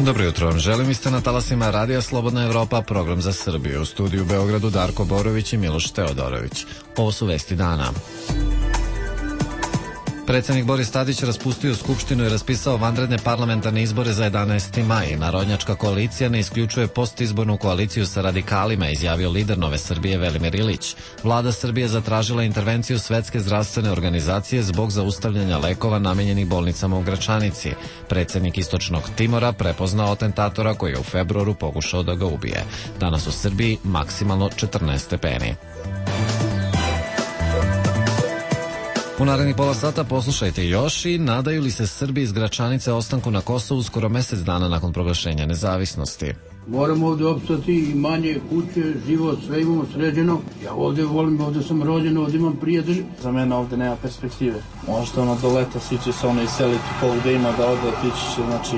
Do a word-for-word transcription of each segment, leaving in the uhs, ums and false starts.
Dobro jutro vam želim, vi ste na talasima Radija Slobodna Evropa, program za Srbiju. U studiju u Beogradu Darko Borović i Miloš Teodorović. Ovo su vesti dana. Predsjednik Boris Tadić raspustio Skupštinu i raspisao vanredne parlamentarne izbore za jedanaesti maj. Narodnjačka koalicija ne isključuje postizbornu koaliciju sa radikalima, izjavio lider Nove Srbije Velimir Ilić. Vlada Srbije zatražila intervenciju Svetske zdravstvene organizacije zbog zaustavljanja lekova namenjenih bolnicama u Gračanici. Predsjednik Istočnog Timora prepoznao atentatora koji je u februaru pokušao da ga ubije. Danas u Srbiji maksimalno četrnaest stepeni. U narednih pola sata poslušajte još i nadaju li se Srbi iz Gračanice ostanku na Kosovu skoro mjesec dana nakon proglašenja nezavisnosti. Moramo ovdje opstati, imanje, kuće, život, sve imamo sređeno. Ja ovdje volim, ovdje sam rođen, ovdje imam prijatelj. Za mene ovdje nema perspektive. Možda ono do leta svi će se ono iseliti koliko da ima da ode, otići će, znači...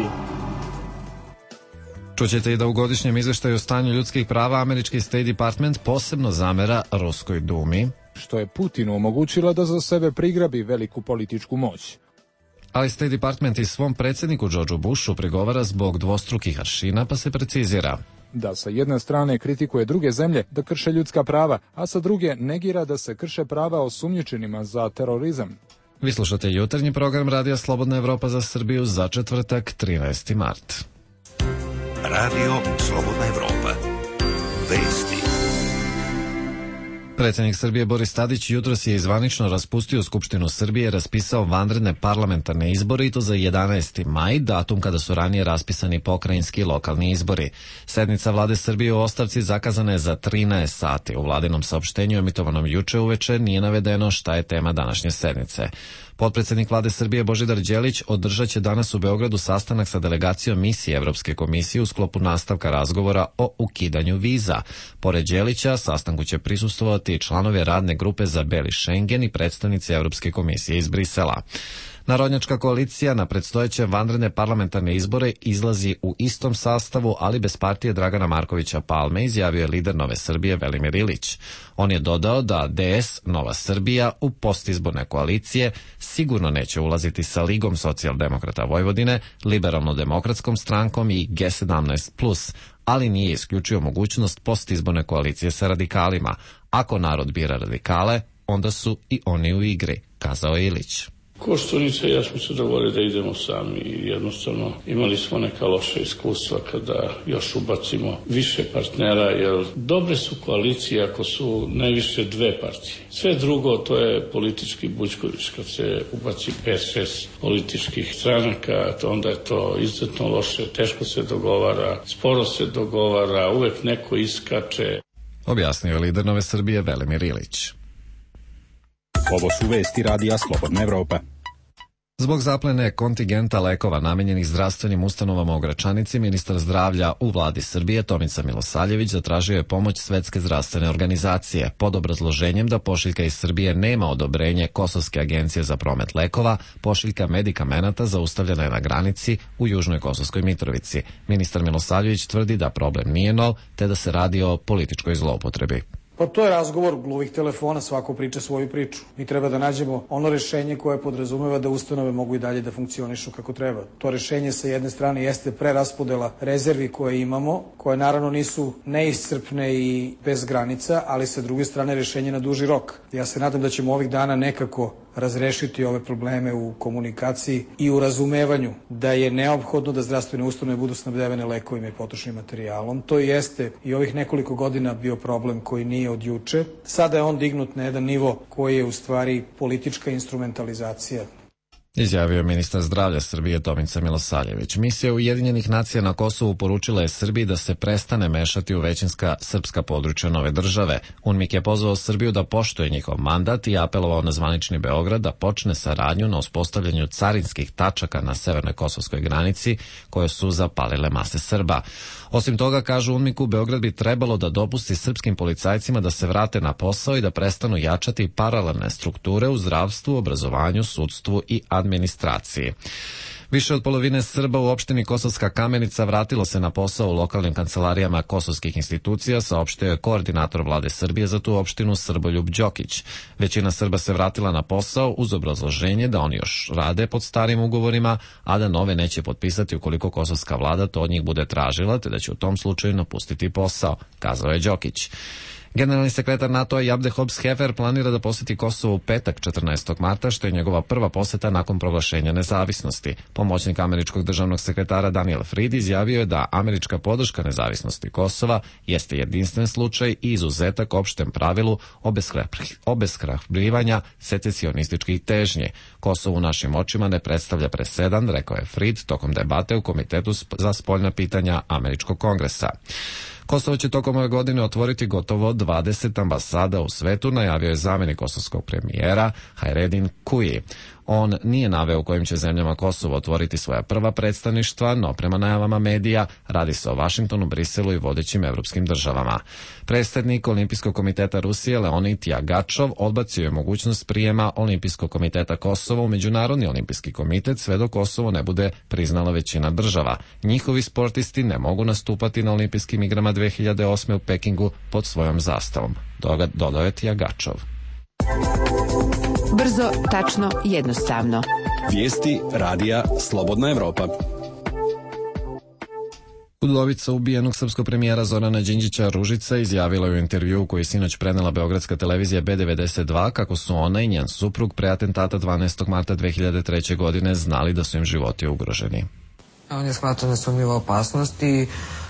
Čućete i da u godišnjem izveštaju o stanju ljudskih prava američki State Department posebno zamera Ruskoj dumi, što je Putinu omogućila da za sebe prigrabi veliku političku moć. Ali State Department i svom predsjedniku Georgeu Bushu prigovara zbog dvostrukih aršina, pa se precizira da sa jedne strane kritikuje druge zemlje da krše ljudska prava, a sa druge negira da se krše prava osumnjičenima za terorizam. Vi slušate jutarnji program Radija Slobodna Evropa za Srbiju za četvrtak trinaesti mart. Radio Slobodna Evropa. Vesti. Predsjednik Srbije Boris Tadić jutros je zvanično raspustio Skupštinu Srbije, raspisao vanredne parlamentarne izbore i to za jedanaesti maj, datum kada su ranije raspisani pokrajinski i lokalni izbori. Sednica vlade Srbije u ostavci zakazana je za trinaest sati. U vladinom saopštenju emitovanom juče uveče nije navedeno šta je tema današnje sednice. Potpredsjednik vlade Srbije Božidar Đelić održat će danas u Beogradu sastanak sa delegacijom misije Evropske komisije u sklopu nastavka razgovora o ukidanju viza. Pored Đelića, sastanku će prisustvovati i članovi radne grupe za Beli Šengen i predstavnici Evropske komisije iz Brisela. Narodnjačka koalicija na predstojeće vanredne parlamentarne izbore izlazi u istom sastavu, ali bez partije Dragana Markovića Palme, izjavio je lider Nove Srbije Velimir Ilić. On je dodao da D S Nova Srbija u postizborne koalicije sigurno neće ulaziti sa Ligom socijaldemokrata Vojvodine, Liberalno-demokratskom strankom i G sedamnaest plus, ali nije isključio mogućnost postizborne koalicije sa radikalima. Ako narod bira radikale, onda su i oni u igri, kazao je Ilić. Koštunice i ja smo se dogovorili da idemo sami i jednostavno imali smo neka loša iskustva kada još ubacimo više partnera, jer dobre su koalicije ako su najviše dve partije. Sve drugo to je politički bućković, kad se ubaci pet šest političkih stranaka, onda je to izuzetno loše, teško se dogovara, sporo se dogovara, uvek neko iskače. Objasnio je lider Nove Srbije Velimir Ilić. Ovo su vesti Radija Slobodna Evropa. Zbog zaplene kontingenta lekova namenjenih zdravstvenim ustanovama u Gračanici, ministar zdravlja u vladi Srbije Tomica Milosavljević zatražio je pomoć Svetske zdravstvene organizacije pod obrazloženjem da pošiljka iz Srbije nema odobrenje Kosovske agencije za promet lekova, pošiljka medikamenata zaustavljena je na granici u Južnoj Kosovskoj Mitrovici. Ministar Milosavljević tvrdi da problem nije nov, te da se radi o političkoj zloupotrebi. Pa to je razgovor gluvih telefona, svako priča svoju priču. Mi treba da nađemo ono rešenje koje podrazumeva da ustanove mogu i dalje da funkcionišu kako treba. To rešenje sa jedne strane jeste preraspodela rezervi koje imamo, koje naravno nisu neiscrpne i bez granica, ali sa druge strane rešenje na duži rok. Ja se nadam da ćemo ovih dana nekako razrešiti ove probleme u komunikaciji i u razumevanju da je neophodno da zdravstvene ustanove budu snabdevene lekovima i potrošnim materijalom. To jeste i ovih nekoliko godina bio problem koji nije od juče. Sada je on dignut na jedan nivo koji je u stvari politička instrumentalizacija. Izjavio je ministar zdravlja Srbije Tomica Milosavljević. Misija Ujedinjenih nacija na Kosovu poručila je Srbiji da se prestane mešati u većinska srpska područja nove države. UNMIK je pozvao Srbiju da poštuje njihov mandat i apelovao na zvanični Beograd da počne saradnju na uspostavljanju carinskih tačaka na severnoj kosovskoj granici koje su zapalile mase Srba. Osim toga, kažu UNMIK-u, Beograd bi trebalo da dopusti srpskim policajcima da se vrate na posao i da prestanu jačati paralelne strukture u zdravstvu, obrazovanju, sudstvu i administraciji. Više od polovine Srba u opštini Kosovska Kamenica vratilo se na posao u lokalnim kancelarijama kosovskih institucija, saopštio je koordinator vlade Srbije za tu opštinu Srboljub Đokić. Većina Srba se vratila na posao uz obrazloženje da oni još rade pod starim ugovorima, a da nove neće potpisati ukoliko kosovska vlada to od njih bude tražila, te da će u tom slučaju napustiti posao, kazao je Đokić. Generalni sekretar NATO-a Jabde Hobbs-Hefer planira da poseti Kosovo u petak četrnaestog marta, što je njegova prva poseta nakon proglašenja nezavisnosti. Pomoćnik američkog državnog sekretara Daniel Fried izjavio je da američka podrška nezavisnosti Kosova jeste jedinstven slučaj i izuzetak opštem pravilu obeshrabljivanja secesionističkih težnji. Kosovo u našim očima ne predstavlja presedan, rekao je Fried tokom debate u Komitetu za spoljna pitanja američkog kongresa. Kosovo će tokom ove godine otvoriti gotovo dvadeset ambasada u svetu, najavio je zamenik kosovskog premijera Hajredin Kuji. On nije naveo u kojim će zemljama Kosovo otvoriti svoja prva predstavništva, no prema najavama medija radi se o Vašingtonu, Briselu i vodećim evropskim državama. Predsednik Olimpijskog komiteta Rusije Leonid Jagačov odbacio je mogućnost prijema Olimpijskog komiteta Kosova u Međunarodni olimpijski komitet sve dok Kosovo ne bude priznala većina država. Njihovi sportisti ne mogu nastupati na olimpijskim igrama dve hiljade osme u Pekingu pod svojom zastavom, dodao je Jagačov. Brzo, tačno, jednostavno. Vijesti radija Slobodna Evropa. Udovica ubijenog srpskog premijera Zorana Đinđića Ružica izjavila u intervjuu koji je sinoć prenela beogradska televizija B devedeset dva kako su ona i njen suprug pre atentata dvanaestog marta dve hiljade treće. godine znali da su im životi ugroženi. On je shvatao nesumnjivu opasnost i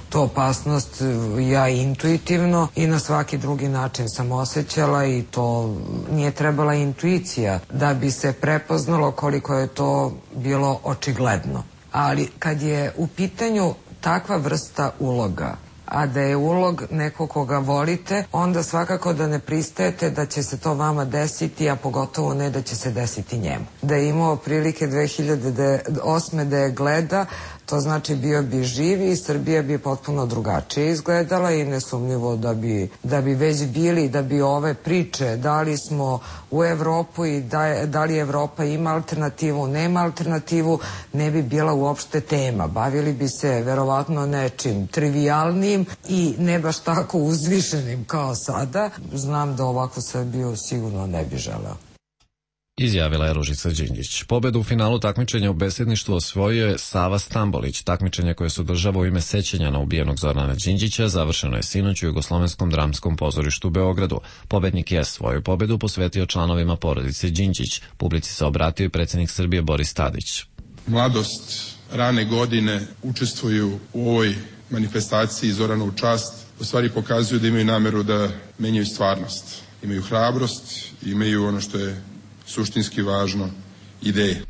tu opasnost ja intuitivno i na svaki drugi način sam osjećala i to nije trebala intuicija da bi se prepoznalo koliko je to bilo očigledno. Ali kad je u pitanju takva vrsta uloga, a da je ulog neko koga volite, onda svakako da ne pristajete da će se to vama desiti, a pogotovo ne da će se desiti njemu. Da je imao prilike dve hiljade osme. da je gleda, to znači bio bi živi i Srbija bi potpuno drugačije izgledala i nesumnjivo da bi, da bi već bili, da bi ove priče da li smo u Evropu i da, da li Evropa ima alternativu, nema alternativu, ne bi bila uopšte tema. Bavili bi se verovatno nečim trivijalnim i ne baš tako uzvišenim kao sada. Znam da ovakvu Srbiju sigurno ne bi želeo. Izjavila je Ružica Đinđić. Pobedu u finalu takmičenja u besedništvu osvojio je Sava Stambolić. Takmičenje koje se održava u ime sećanja na ubijenog Zorana Đinđića završeno je sinoć u Jugoslovenskom dramskom pozorištu u Beogradu. Pobednik je svoju pobedu posvetio članovima porodice Đinđić. Publici se obratio i predsjednik Srbije Boris Tadić. Mladost, rane godine učestvuju u ovoj manifestaciji Zorana u čast. U stvari pokazuju da imaju nameru da menjaju stvarnost. Imaju hrabrost, imaju ono što je suštinski važno, ideje.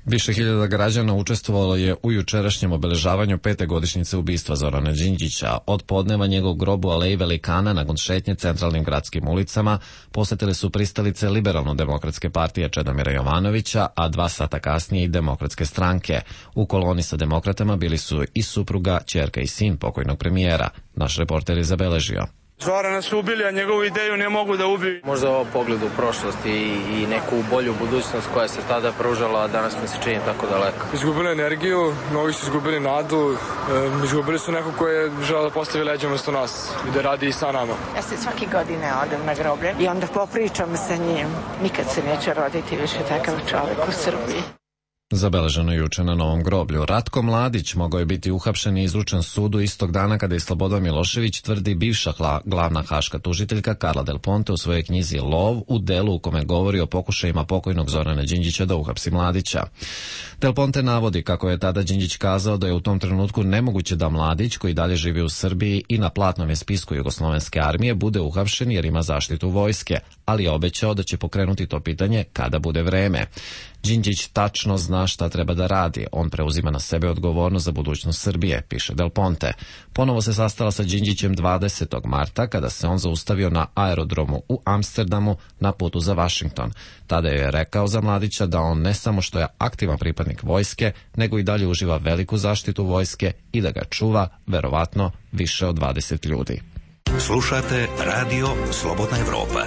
Više hiljada građana učestvovalo je u jučerašnjem obeležavanju pete godišnjice ubistva Zorana Đinđića. Od podneva njegov grob u Aleji Velikana nakon šetnje centralnim gradskim ulicama posetile su pristalice Liberalno-demokratske partije Čedomira Jovanovića, a dva sata kasnije i Demokratske stranke. U koloni sa demokratama bili su i supruga, ćerka i sin pokojnog premijera. Naš reporter je zabeležio. Zorana su ubili, a njegovu ideju ne mogu da ubiju. Možda ovo pogled u prošlost i, i neku bolju budućnost koja se tada pružala, a danas mi se čini tako daleko. Izgubili energiju, mnogi su izgubili nadu, e, izgubili su neko ko je želeo da postavi leđa umesto nas i da radi i sa nama. Ja se svake godine odem na groblje i onda popričam sa njim. Nikad se neće roditi više takav čovjek u Srbiji. Zabeleženo juče na Novom groblju. Ratko Mladić mogao je biti uhapšen i izručen sudu istog dana kada je Slobodan Milošević, tvrdi bivša hla, glavna haška tužiteljka Karla Del Ponte u svojoj knjizi Lov, u delu u kome govori o pokušajima pokojnog Zorana Đinđića da uhapsi Mladića. Del Ponte navodi kako je tada Đinđić kazao da je u tom trenutku nemoguće da Mladić, koji dalje živi u Srbiji i na platnom je spisku Jugoslovenske armije, bude uhapšen jer ima zaštitu vojske, ali je obećao da će pokrenuti to pitanje kada bude vreme. Đinđić tačno zna šta treba da radi. On preuzima na sebe odgovornost za budućnost Srbije, piše Del Ponte. Ponovo se sastala sa Đinđićem dvadesetog marta kada se on zaustavio na aerodromu u Amsterdamu na putu za Vašington. Tada je rekao za Mladića da on ne samo što je aktivan pripadnik vojske, nego i dalje uživa veliku zaštitu vojske i da ga čuva, verovatno, više od dvadeset ljudi. Slušate Radio Slobodna Evropa.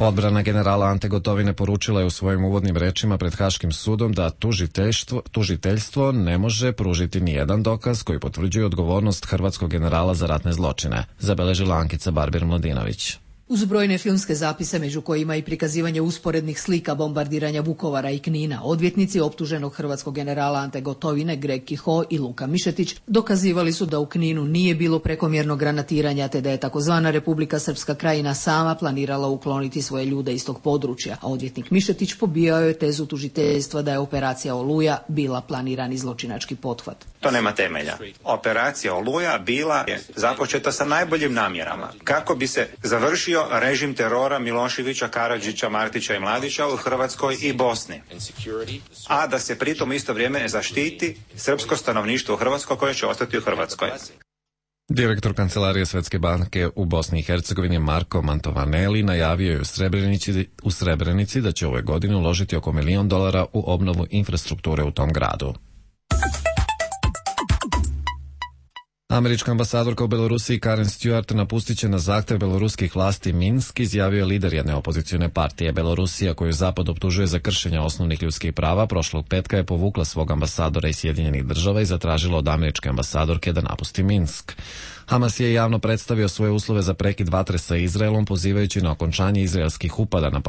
Odbrana generala Ante Gotovine poručila je u svojim uvodnim rečima pred Haškim sudom da tužiteljstvo, tužiteljstvo ne može pružiti ni jedan dokaz koji potvrđuje odgovornost hrvatskog generala za ratne zločine, zabeležila Ankica Barbir-Mladinović. Uz brojne filmske zapise, među kojima i prikazivanje usporednih slika bombardiranja Vukovara i Knina, odvjetnici optuženog hrvatskog generala Ante Gotovine, Greg Kiho i Luka Mišetić, dokazivali su da u Kninu nije bilo prekomjernog granatiranja, te da je takozvana Republika Srpska Krajina sama planirala ukloniti svoje ljude iz tog područja, a odvjetnik Mišetić pobijao je tezu tužiteljstva da je operacija Oluja bila planirani zločinački pothvat. To nema temelja. Operacija Oluja bila je započeta sa najboljim namjerama kako bi se završio režim terora Miloševića, Karadžića, Martića i Mladića u Hrvatskoj i Bosni, a da se pritom isto vrijeme zaštiti srpsko stanovništvo u Hrvatskoj koje će ostati u Hrvatskoj. Direktor Kancelarije Svetske banke u Bosni i Hercegovini Marko Mantovaneli najavio je u Srebrenici, u Srebrenici da će ove godine uložiti oko milion dolara u obnovu infrastrukture u tom gradu. Američka ambasadorka u Belorusiji Karen Stewart napustit će na zahtev beloruskih vlasti Minsk, izjavio je lider jedne opozicione partije. Belorusija, koju Zapad optužuje za kršenje osnovnih ljudskih prava, prošlog petka je povukla svog ambasadora iz Sjedinjenih država i zatražila od američke ambasadorke da napusti Minsk. Hamas je javno predstavio svoje uslove za prekid vatre sa Izraelom, pozivajući na okončanje izraelskih upada na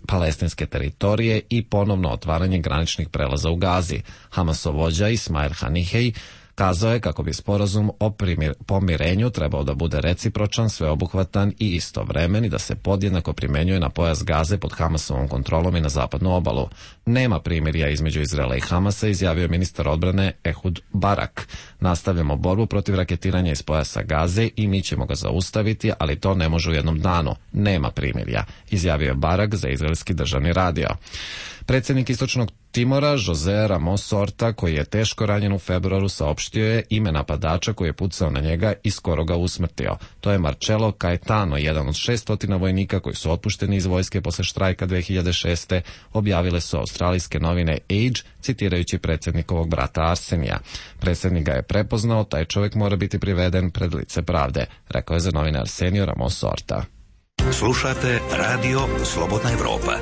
palestinske teritorije i ponovno otvaranje graničnih prelaza u Gazi. Hamasov vođa Ismail Hanihej kazao je kako bi sporazum o primir, pomirenju trebao da bude recipročan, sveobuhvatan i istovremen i da se podjednako primenjuje na pojas Gaze pod Hamasovom kontrolom i na zapadnu obalu. Nema primirja između Izraela i Hamasa, izjavio ministar odbrane Ehud Barak. Nastavljamo borbu protiv raketiranja iz pojasa Gaze i mi ćemo ga zaustaviti, ali to ne može u jednom danu. Nema primirja, izjavio je Barak za izraelski državni radio. Predsjednik Istočnog Timora, Jose Ramos Horta, koji je teško ranjen u februaru, saopštio je ime napadača koji je pucao na njega i skoro ga usmrtio. To je Marcelo Caetano, jedan od šeststotina vojnika koji su otpušteni iz vojske posle štrajka dve hiljade šeste. Objavile su australijske novine Age, citirajući predsjednikovog brata Arsenija. Predsjednik ga je prepoznao, taj čovjek mora biti priveden pred lice pravde, rekao je za novine Arsenio Ramos Horta. Slušate Radio Slobodna Evropa.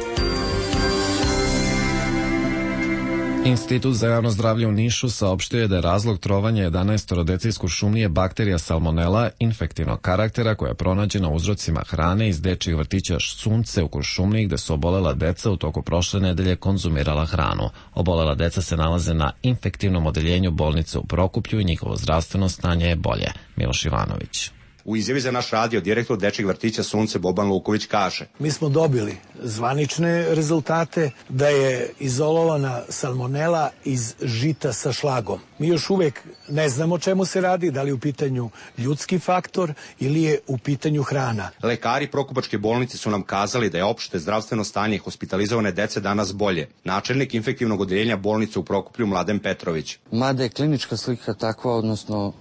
Institut za javno zdravlje u Nišu saopštio je da je razlog trovanja jedanaestoro dece iz Kuršumlije bakterija salmonela infektivnog karaktera koja je pronađena u uzrocima hrane iz dečjih vrtića Sunce u Kuršumliji, gde su obolela deca u toku prošle nedelje konzumirala hranu. Obolela deca se nalaze na infektivnom odeljenju bolnice u Prokuplju i njihovo zdravstveno stanje je bolje. Miloš Ivanović. U izjavi za naš radio direktor dečjeg vrtića Sunce Boban Luković kaže: Mi smo dobili zvanične rezultate da je izolovana salmonela iz žita sa šlagom. Mi još uvek ne znamo o čemu se radi, da li je u pitanju ljudski faktor ili je u pitanju hrana. Lekari Prokupačke bolnice su nam kazali da je opšte zdravstveno stanje hospitalizovane dece danas bolje. Načelnik infektivnog odeljenja bolnice u Prokuplju Mladen Petrović. Mada je klinička slika takva, odnosno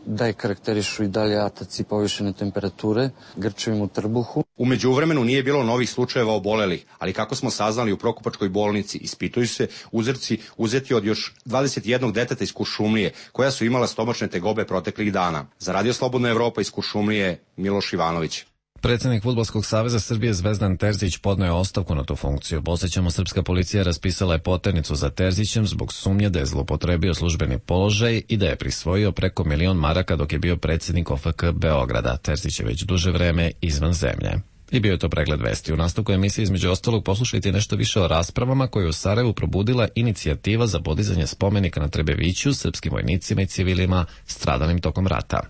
da je karakterišu i dalje ataci povišene temperature, grčevim u trbuhu. U međuvremenu nije bilo novih slučajeva obolelih, ali kako smo saznali u Prokupačkoj bolnici, ispituju se uzorci uzeti od još dvadeset jednog deteta iz Kuršumlije, koja su imala stomačne tegobe proteklih dana. Za Radio Slobodna Evropa iz Kuršumlije, Miloš Ivanović. Predsjednik Fudbalskog saveza Srbije Zvezdan Terzić podneo je ostavku na tu funkciju. Podsjećamo, srpska policija raspisala je poternicu za Terzićem zbog sumnje da je zloupotrebio službeni položaj i da je prisvojio preko milion maraka dok je bio predsjednik O F K Beograda. Terzić je već duže vreme izvan zemlje. I bio je to pregled vesti. U nastavku emisije između ostalog poslušajte nešto više o raspravama koje je u Sarajevu probudila inicijativa za podizanje spomenika na Trebeviću srpskim vojnicima i civilima stradalim tokom rata.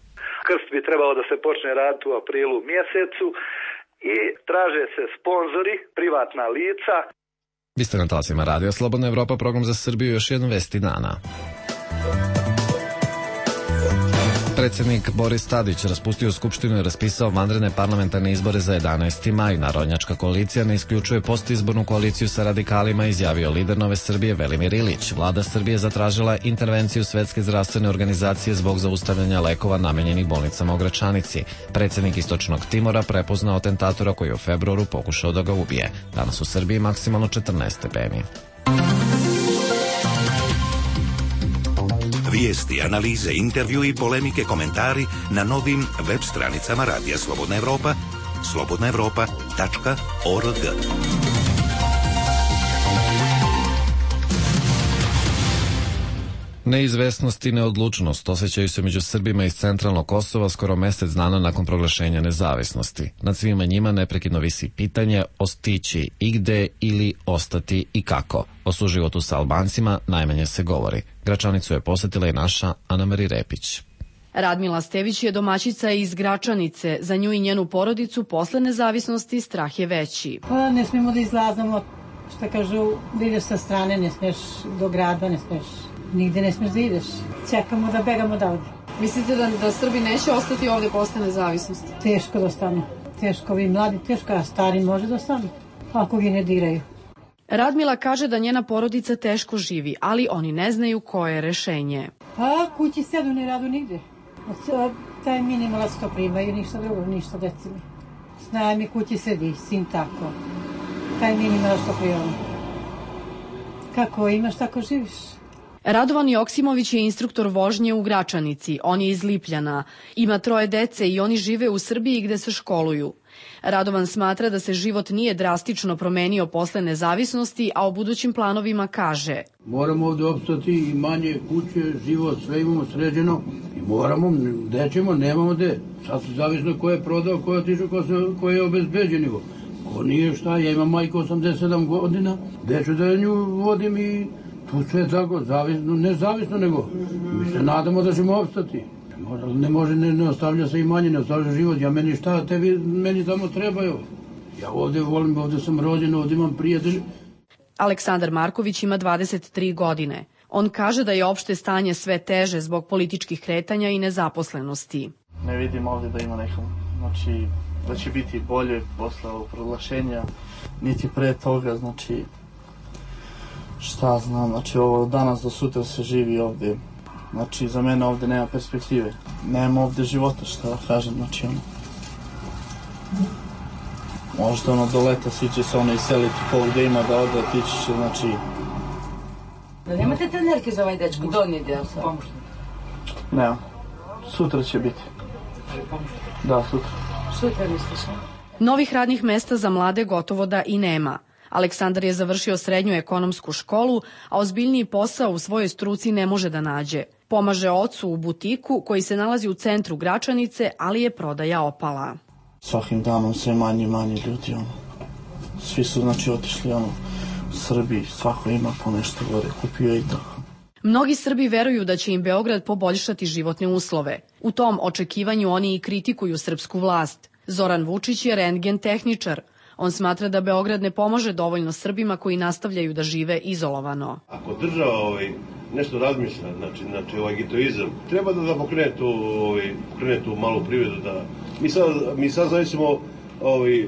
Krst bi trebao da se počne raditi u aprilu mjesecu i traže se sponzori, privatna lica. Vi ste na talasima Radio Slobodna Evropa, program za Srbiju, još jednu vesti dana. Predsjednik Boris Tadić raspustio Skupštinu i raspisao vanredne parlamentarne izbore za jedanaesti maj. Narodnjačka koalicija ne isključuje postizbornu koaliciju sa radikalima, izjavio lider Nove Srbije Velimir Ilić. Vlada Srbije zatražila intervenciju Svetske zdravstvene organizacije zbog zaustavljanja lekova namenjenih bolnicama u Gračanici. Predsjednik Istočnog Timora prepoznao atentatora koji je u februaru pokušao da ga ubije. Danas u Srbiji maksimalno četrnaest stepeni. Vijesti, analize, intervju i polemike, komentari na novim web stranicama Radija Slobodna Evropa, slobodna evropa tačka org. Neizvesnost i neodlučnost osjećaju se među Srbima iz centralnog Kosova skoro mesec dana nakon proglašenja nezavisnosti. Nad svima njima neprekidno visi pitanje ostići i gde ili ostati i kako. O suživotu sa Albancima najmanje se govori. Gračanicu je posetila i naša Ana-Mari Repić. Radmila Stević je domaćica iz Gračanice. Za nju i njenu porodicu posle nezavisnosti strah je veći. Pa ne smijemo da izlazamo, šta kažu, da ideš sa strane, ne smiješ do grada, ne smiješ, nigde ne smiješ da ideš. Čekamo da begamo odavde. Mislite da, da Srbi neće ostati ovde posle nezavisnosti? Teško da ostanu. Teško, vi mladi, teško, a stari može da ostanu, ako vi ne diraju. Radmila kaže da njena porodica teško živi, ali oni ne znaju koje je rešenje. Pa kući sedu, ne radu nigde. Taj minimalac to primaju, ništa drugo, ništa deci mi. Znaj mi kući sedi, sin tako. Taj minimalac to primaju. Kako imaš, tako živiš. Radovan Joksimović je instruktor vožnje u Gračanici. On je iz Lipljana. Ima troje dece i oni žive u Srbiji gde se školuju. Radovan smatra da se život nije drastično promenio posle nezavisnosti, a o budućim planovima kaže: Moramo ovde opstati, imanje, kuće, život, sve imamo sređeno i moramo, gde ćemo, nemamo gde. Sad se zavisno ko je prodao, ko je otišao, ko, ko je obezbeđen. Ko nije šta, ja imam majku osamdeset sedam godina, gde ću da nju vodim i tu sve tako, zavisno, ne zavisno, nego mi se nadamo da ćemo opstati. Ne može, ne, ne ostavlja se imanje, ne ostavlja život. Ja meni šta, tebi, meni tamo trebaju. Ja ovde volim, ovde sam rođen, ovde imam prijatelj. Aleksandar Marković ima dvadeset tri godine. On kaže da je opšte stanje sve teže zbog političkih kretanja i nezaposlenosti. Ne vidim ovde da ima nekom, znači da će biti bolje posle ovog proglašenja, niti pre toga, znači šta znam, znači ovo danas do sutra se živi ovde. Znači, za mene ovde nema perspektive. Nema ovde života, šta da kažem, znači ono. Možda ono do leta svi će se ono iseliti ko gde ima da ode, ti će se, znači... Da nemate trenerke za ovaj dečko, donji deo sad? Nema. Sutra će biti. Da, sutra. Sutra misliš, a? Novih radnih mesta za mlade gotovo da i nema. Aleksandar je završio srednju ekonomsku školu, a ozbiljniji posao u svojoj struci ne može da nađe. Pomaže ocu u butiku koji se nalazi u centru Gračanice, ali je prodaja opala. Svakim danom sve manje i manje ljudi, ono. Svi su, znači, otišli, ono, u Srbiji, svako ima po nešto gore, kupio i to. Mnogi Srbi veruju da će im Beograd poboljšati životne uslove. U tom očekivanju oni i kritikuju srpsku vlast. Zoran Vučić je rentgen tehničar. On smatra da Beograd ne pomaže dovoljno Srbima koji nastavljaju da žive izolovano. Ako država ovaj, nešto razmišlja, znači, znači ovaj getoizam, treba da, da pokrene, tu, ovaj, pokrene tu malu privredu. Da... Mi sad, mi sad zavisimo, ovaj,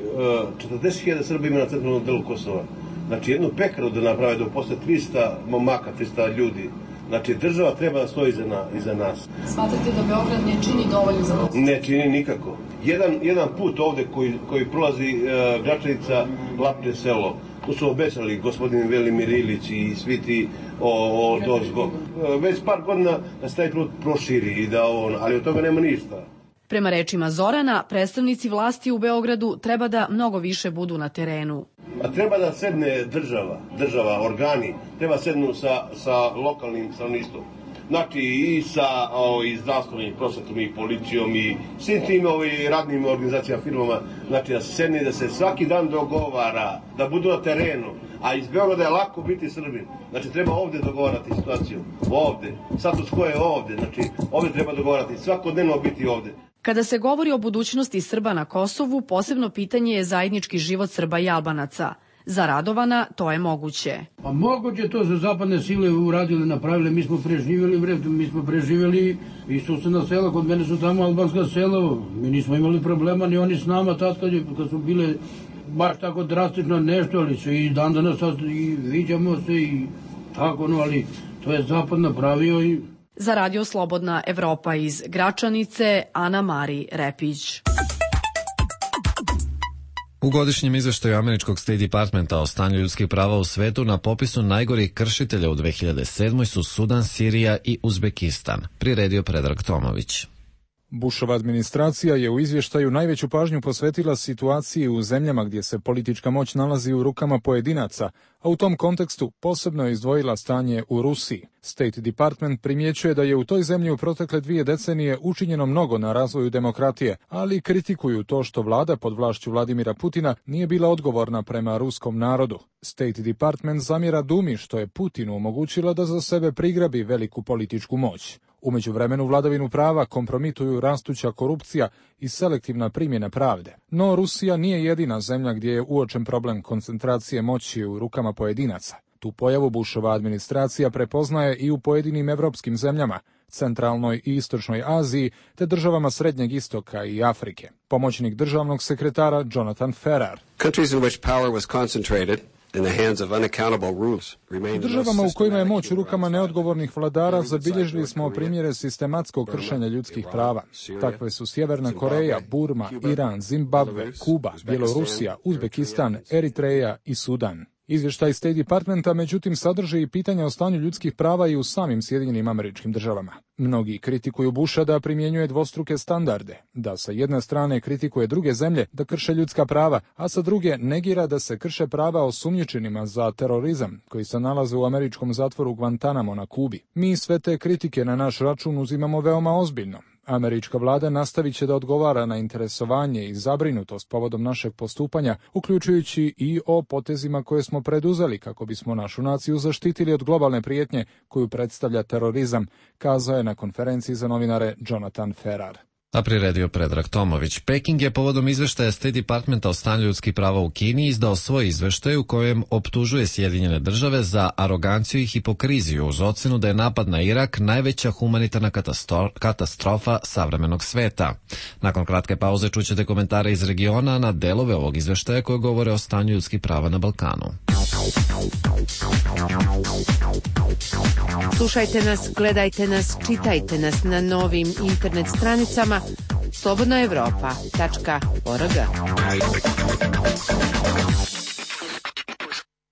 četrdeset hiljada Srba ima na centralnom delu Kosova. Znači jednu pekaru da naprave, da posle trista momaka, trista ljudi. Znači država treba da stoji iza, na, iza nas. Smatrate da Beograd ne čini dovoljno za nas? Ne čini nikako. Jedan, jedan put ovde koji, koji prolazi uh, Gračanica, Lapne selo, tu su obećali gospodin Velimir Ilić i svi ti o, o dozgo. Uh, već par godina da se taj put proširi, i da on, ali od toga nema ništa. Prema rečima Zorana, predstavnici vlasti u Beogradu treba da mnogo više budu na terenu. A treba da sedne država, država, organi, treba sednu sa, sa lokalnim stanovništvom. Znači i sa o, i zdravstvom i prosvetom i policijom i svim tim ovi, radnim organizacijama, firmama, znači da se sedne, da se svaki dan dogovara, da budu na terenu. A iz Beograda je lako biti Srbin. Znači treba ovde dogovarati situaciju, ovde. Status quo je ovde, znači ovde treba dogovarati, svakodnevno biti ovde. Kada se govori o budućnosti Srba na Kosovu, posebno pitanje je zajednički život Srba i Albanaca. Za Radovana to je moguće. Pa moguće to za zapadne sile uradili, napravili, mi smo preživjeli, vred, mi smo preživjeli i susedna sela, kod mene su tamo albanska sela, mi nismo imali problema, ni oni s nama, tad kad, je, kad su bile baš tako drastično nešto, ali se i dan danas i viđamo se i tako, no, ali to je zapad napravio i... Za Radio Slobodna Evropa iz Gračanice, Ana-Mari Repić. U godišnjem izveštaju američkog State Departmenta o stanju ljudskih prava u svetu na popisu najgorih kršitelja u dve hiljade sedmoj su Sudan, Sirija i Uzbekistan, priredio Predrag Tomović. Bushova administracija je u izvještaju najveću pažnju posvetila situaciji u zemljama gdje se politička moć nalazi u rukama pojedinaca, a u tom kontekstu posebno je izdvojila stanje u Rusiji. State Department primjećuje da je u toj zemlji u protekle dvije decenije učinjeno mnogo na razvoju demokratije, ali kritikuju to što vlada pod vlašću Vladimira Putina nije bila odgovorna prema ruskom narodu. State Department zamjera Dumi što je Putinu omogućila da za sebe prigrabi veliku političku moć. U međuvremenu vladavinu prava kompromituju rastuća korupcija i selektivna primjena pravde. No Rusija nije jedina zemlja gdje je uočen problem koncentracije moći u rukama pojedinaca. Tu pojavu Bushova administracija prepoznaje i u pojedinim evropskim zemljama, centralnoj i istočnoj Aziji, te državama Srednjeg istoka i Afrike. Pomoćnik državnog sekretara Jonathan Ferrar. Countries in which power was concentrated in the hands of unaccountable rulers. U državama u kojima je moć u rukama neodgovornih vladara zabilježili smo primjere sistematskog kršenja ljudskih prava. Takve su Sjeverna Koreja, Burma, Iran, Zimbabve, Kuba, Bjelorusija, Uzbekistan, Eritreja i Sudan. Izvještaj State Departmenta međutim sadrži i pitanja o stanju ljudskih prava i u samim Sjedinjenim Američkim Državama. Mnogi kritikuju Busha da primjenjuje dvostruke standarde, da sa jedne strane kritikuje druge zemlje da krše ljudska prava, a sa druge negira da se krše prava osumnjičenima za terorizam koji se nalaze u američkom zatvoru Guantanamo na Kubi. Mi sve te kritike na naš račun uzimamo veoma ozbiljno. Američka vlada nastavit će da odgovara na interesovanje i zabrinutost povodom našeg postupanja, uključujući i o potezima koje smo preduzeli kako bismo našu naciju zaštitili od globalne prijetnje koju predstavlja terorizam, kazao je na konferenciji za novinare Jonathan Ferrar. A priredio Predrag Tomović. Peking je povodom izveštaja State Departmenta o stanju ljudskih prava u Kini izdao svoj izveštaj u kojem optužuje Sjedinjene države za aroganciju i hipokriziju uz ocenu da je napad na Irak najveća humanitarna katastrofa savremenog sveta. Nakon kratke pauze čućete komentare iz regiona na delove ovog izveštaja koje govore o stanju ljudskih prava na Balkanu. Slušajte nas, gledajte nas, čitajte nas na novim internet stranicama slobodna evropa tačka org.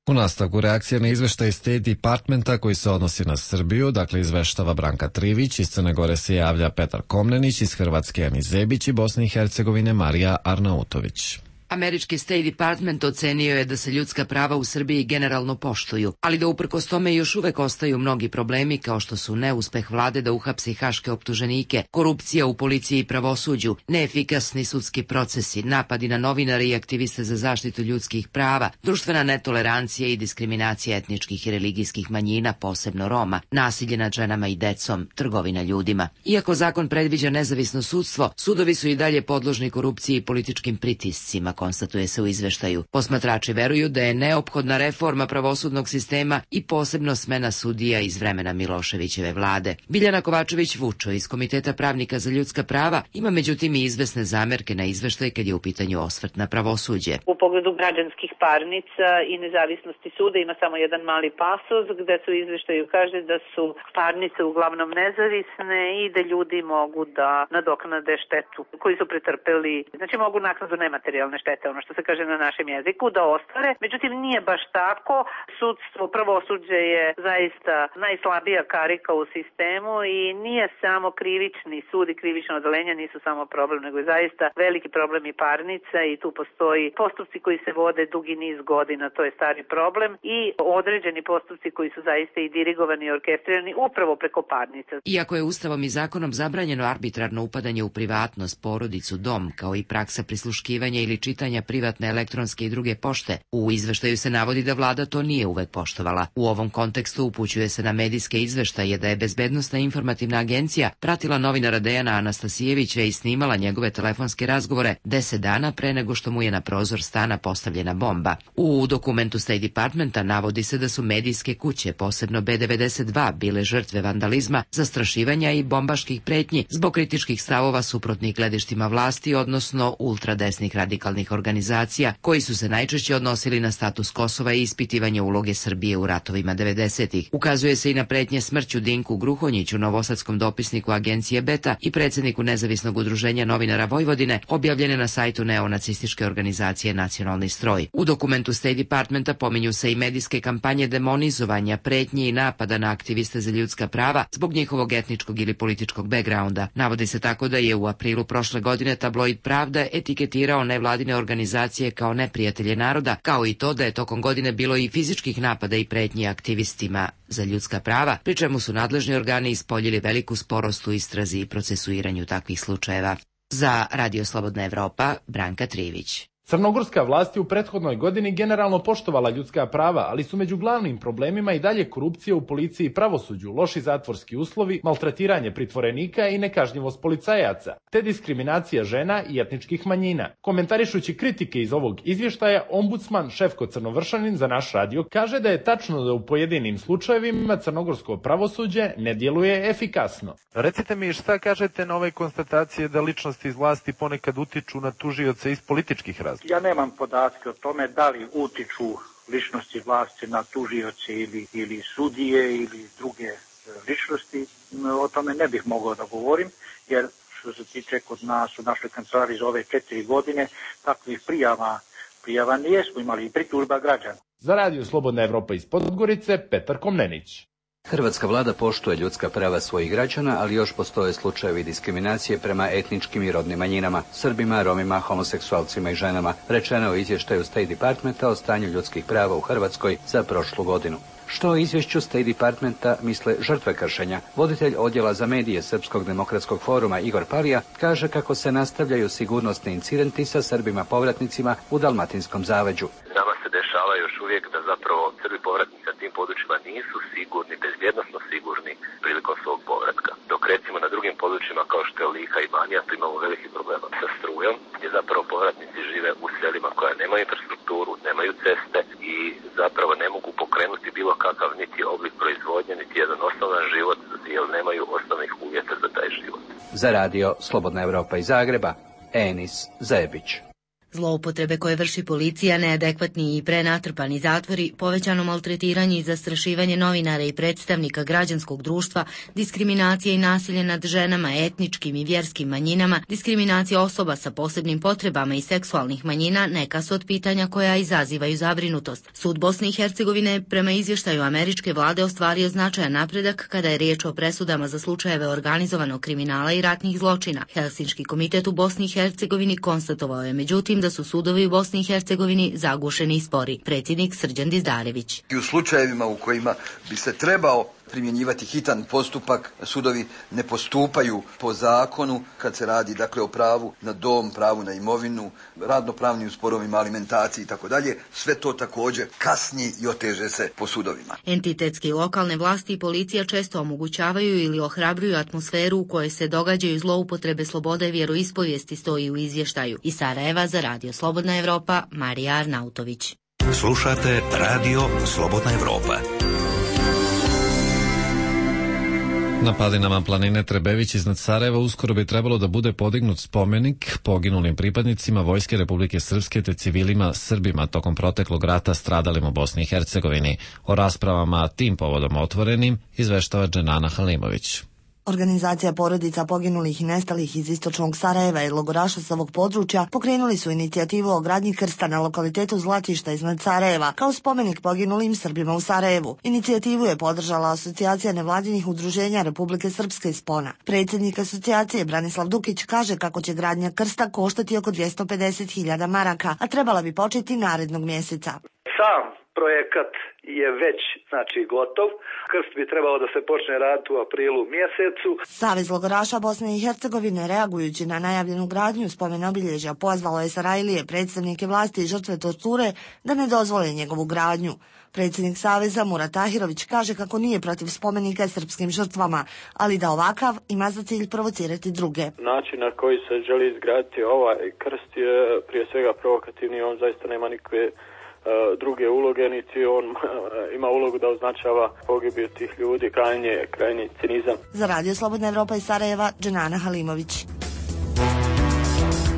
U nastavku reakcija na izveštaj State Departmenta koji se odnosi na Srbiju, dakle izveštava Branka Trivić, iz Crne Gore se javlja Petar Komnenić, iz Hrvatske Ani Zebić i Bosne i Hercegovine Marija Arnautović. Američki State Department ocenio je da se ljudska prava u Srbiji generalno poštuju, ali da uprkos tome još uvek ostaju mnogi problemi kao što su neuspeh vlade da uhapsi haške optuženike, korupcija u policiji i pravosuđu, neefikasni sudski procesi, napadi na novinare i aktiviste za zaštitu ljudskih prava, društvena netolerancija i diskriminacija etničkih i religijskih manjina, posebno Roma, nasilje nad ženama i decom, trgovina ljudima. Iako zakon predviđa nezavisno sudstvo, sudovi su i dalje podložni korupciji i političkim pritiscima, konstatuje se u izveštaju. Posmatrači veruju da je neophodna reforma pravosudnog sistema i posebno smena sudija iz vremena Miloševićeve vlade. Biljana Kovačević-Vučo iz Komiteta pravnika za ljudska prava ima međutim i izvesne zamerke na izveštaj kad je u pitanju osvrt na pravosuđe. U pogledu građanskih parnica i nezavisnosti suda ima samo jedan mali pasus gde se u izveštaju kaže da su parnice uglavnom nezavisne i da ljudi mogu da nadoknade štetu koju su pretrpeli. Znači mogu naknadu nematerijalne štete, ono što se kaže na našem jeziku, da ostvare. Međutim, nije baš tako. Sudstvo, pravosuđe je zaista najslabija karika u sistemu i nije samo krivični sud i krivično odeljenje nisu samo problem, nego je zaista veliki problem i parnica i tu postoji postupci koji se vode dugi niz godina, to je stari problem i određeni postupci koji su zaista i dirigovani i orkestrirani upravo preko parnica. Iako je Ustavom i zakonom zabranjeno arbitrarno upadanje u privatnost, porodicu, dom, kao i praksa prisluškivanja ili čitanja privatne elektronske i druge pošte, u izveštaju se navodi da vlada to nije uvek poštovala. U ovom kontekstu upućuje se na medijske izveštaje da je Bezbednosna informativna agencija pratila novinara Dejana Anastasijevića i snimala njegove telefonske razgovore deset dana pre nego što mu je na prozor stana postavljena bomba. U dokumentu State Departmenta navodi se da su medijske kuće, posebno B devedeset dva, bile žrtve vandalizma, zastrašivanja i bombaških pretnji zbog kritičkih stavova suprotnih gledištima vlasti, odnosno ultradesnih radikalnih nevladinih organizacija koji su se najčešće odnosili na status Kosova i ispitivanje uloge Srbije u ratovima devedesetih. Ukazuje se i na pretnje smrću Dinku Gruhonjiću, novosadskom dopisniku agencije Beta i predsjedniku Nezavisnog udruženja novinara Vojvodine, objavljene na sajtu neonacističke organizacije Nacionalni stroj. U dokumentu State Departmenta pominju se i medijske kampanje demonizovanja, pretnji i napada na aktiviste za ljudska prava zbog njihovog etničkog ili političkog backgrounda. Navodi se tako da je u aprilu prošle godine tabloid Pravda etiketirao nevladine organizacije kao neprijatelje naroda, kao i to da je tokom godine bilo i fizičkih napada i pretnji aktivistima za ljudska prava, pri čemu su nadležni organi ispoljili veliku sporost u istrazi i procesuiranju takvih slučajeva. Za Radio Slobodna Evropa, Branka Trivić. Crnogorska vlast je u prethodnoj godini generalno poštovala ljudska prava, ali su među glavnim problemima i dalje korupcija u policiji i pravosuđu, loši zatvorski uslovi, maltretiranje pritvorenika i nekažnjivost policajaca, te diskriminacija žena i etničkih manjina. Komentarišući kritike iz ovog izvještaja, ombudsman Šefko Crnovršanin za naš radio kaže da je tačno da u pojedinim slučajevima crnogorsko pravosuđe ne djeluje efikasno. Recite mi šta kažete na ove konstatacije da ličnosti iz vlasti ponekad utiču na tužioce iz političkih razloga? Ja nemam podatke o tome da li utiču ličnosti vlasti na tužioce ili, ili sudije ili druge ličnosti. O tome ne bih mogao da govorim, jer što se tiče kod nas u našoj kancelariji za ove četiri godine, takvih prijava, prijava nijesmo imali i pritužba građana. Za Radio Slobodna Evropa iz Podgorice, Petar Komnenić. Hrvatska vlada poštuje ljudska prava svojih građana, ali još postoje slučajevi diskriminacije prema etničkim i rodnim manjinama, Srbima, Romima, homoseksualcima i ženama, rečeno u izvještaju State Departmenta o stanju ljudskih prava u Hrvatskoj za prošlu godinu. Što o izvješću State Departmenta misle žrtve kršenja? Voditelj odjela za medije Srpskog demokratskog foruma Igor Palija kaže kako se nastavljaju sigurnosni incidenti sa Srbima povratnicima u Dalmatinskom zaleđu. Nama se dešava još uvijek da zapravo Srbi povratnici na tim područjima nisu sigurni, bezbjednosno sigurni prilikom svog povratka. Dok recimo na drugim područjima kao što je Lika i Banija, tu imamo veliki problema sa strujom, gdje zapravo povratnici žive u selima koja nemaju infrastrukturu, nemaju ceste i zapravo ne mogu pokrenuti bilo kakav niti oblik proizvodnje, niti jedan osnovan život, jer nemaju osnovnih uvjeta za taj život. Za radio Slobodna Evropa iz Zagreba, Enis Zebić. Zloupotrebe koje vrši policija, neadekvatni i prenatrpani zatvori, povećano maltretiranje i zastrašivanje novinara i predstavnika građanskog društva, diskriminacija i nasilje nad ženama, etničkim i vjerskim manjinama, diskriminacija osoba sa posebnim potrebama i seksualnih manjina neka su od pitanja koja izazivaju zabrinutost. Sud Bosne i Hercegovine prema izvještaju američke vlade ostvario značajan napredak kada je riječ o presudama za slučajeve organizovanog kriminala i ratnih zločina. Helsinški komitet u Bosni i Hercegovini konstatovao je međutim da su sudovi u Bosni i Hercegovini zagušeni i spori. Predsjednik Srđan Dizdarević. I u slučajevima u kojima bi se trebao primjenjivati hitan postupak, sudovi ne postupaju po zakonu kad se radi dakle o pravu na dom, pravu na imovinu, radnopravnim sporovima, alimentaciji i tako dalje. Sve to također kasni i oteže se po sudovima. Entitetske i lokalne vlasti i policija često omogućavaju ili ohrabruju atmosferu u kojoj se događaju zloupotrebe slobode vjeroispovijesti, stoji u izvještaju. Iz Sarajeva za Radio Slobodna Evropa, Marija Arnautović. Slušate Radio Slobodna Evropa. Na padinama planine Trebević iznad Sarajeva uskoro bi trebalo da bude podignut spomenik poginulim pripadnicima Vojske Republike Srpske te civilima Srbima tokom proteklog rata stradalim u Bosni i Hercegovini. O raspravama tim povodom otvorenim izveštava Dženana Halimović. Organizacija porodica poginulih i nestalih iz istočnog Sarajeva i logoraša sa ovog područja pokrenuli su inicijativu o gradnji krsta na lokalitetu Zlatišta iznad Sarajeva kao spomenik poginulim Srbima u Sarajevu. Inicijativu je podržala Asocijacija nevladinih udruženja Republike Srpske iz Spona. Predsjednik asocijacije Branislav Dukić kaže kako će gradnja krsta koštati oko dvjesto pedeset hiljada maraka, a trebala bi početi narednog mjeseca. Sam projekat je već znači gotov. Krst bi trebalo da se počne raditi u aprilu mjesecu. Savez logoraša Bosne i Hercegovine, reagujući na najavljenu gradnju spomen obilježja, pozvalo je Sarajlije, predstavnike vlasti i žrtve torture da ne dozvole njegovu gradnju. Predsjednik Saveza Murat Tahirović kaže kako nije protiv spomenika srpskim žrtvama, ali da ovakav ima za cilj provocirati druge. Način na koji se želi izgraditi ovaj krst je prije svega provokativni, on zaista nema nikakve druge uloge, niti on ima ulogu da označava pogibiju tih ljudi, krajnje, krajnji cinizam. Za Radio Slobodna Evropa iz Sarajeva, Dženana Halimović.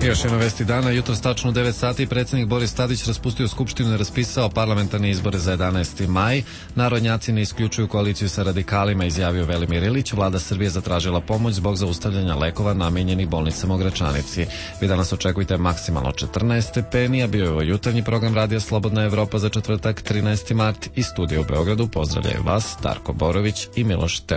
Još jedno vesti dana, jutro tačno u devet sati predsjednik Boris Tadić raspustio skupštinu i raspisao parlamentarne izbore za jedanaesti maj. Narodnjaci ne isključuju koaliciju sa radikalima, izjavio Velimir Ilić. Vlada Srbije zatražila pomoć zbog zaustavljanja lekova namenjenih bolnicama u Gračanici. Vi danas očekujte maksimalno četrnaest stepeni, a bio je ovo jutarnji program Radija Slobodna Evropa za četvrtak trinaesti mart. Iz studija u Beogradu pozdravljaju vas Darko Borović i Miloš Teodorović.